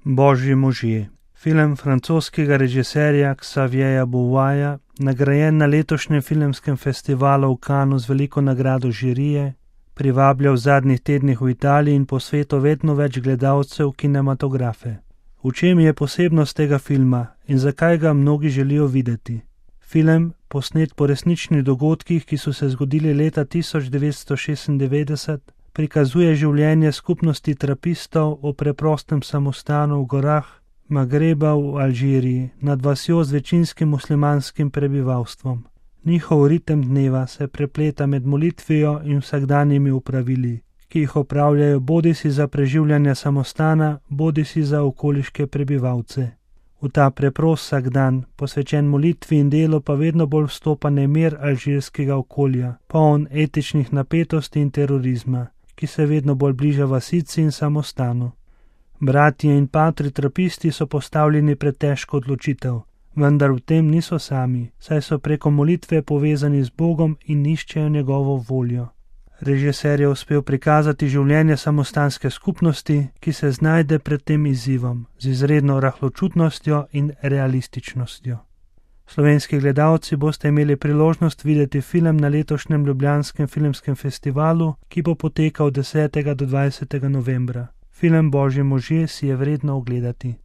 Božji možje. Film francoskega režiserja Xavierja Beauvoisa, nagrajen na letošnjem filmskem festivalu v Cannesu z veliko nagrado žirije, privablja v zadnjih tednih v Italiji in po svetu vedno več gledalcev kinematografe. V čem je posebnost tega filma in zakaj ga mnogi želijo videti? Film, posnet po resničnih dogodkih, ki so se zgodili leta 1996, prikazuje življenje skupnosti trapistov v preprostem samostanu v gorah Magreba v Alžiriji nad vasjo z večinskim muslimanskim prebivalstvom. Njihov ritem dneva se prepleta med molitvijo in vsakdanjimi opravili, ki jih opravljajo bodisi za preživljanje samostana, bodisi za okoliške prebivalce. V ta preprost vsakdan, posvečen molitvi in delu, pa vedno bolj vstopa nemir alžirskega okolja, poln etičnih napetosti in terorizma, ki se vedno bolj bliža vasici in samostanu. Bratje in patri trapisti so postavljeni pred težko odločitev, vendar v tem niso sami, saj so preko molitve povezani z Bogom in iščejo njegovo voljo. Režiser je uspel prikazati življenje samostanske skupnosti, ki se znajde pred tem izzivom z izredno rahločutnostjo in realističnostjo. Slovenski gledalci boste imeli priložnost videti film na letošnjem ljubljanskem filmskem festivalu, ki bo potekal 10. do 20. novembra. Film Božji možje si je vredno ogledati.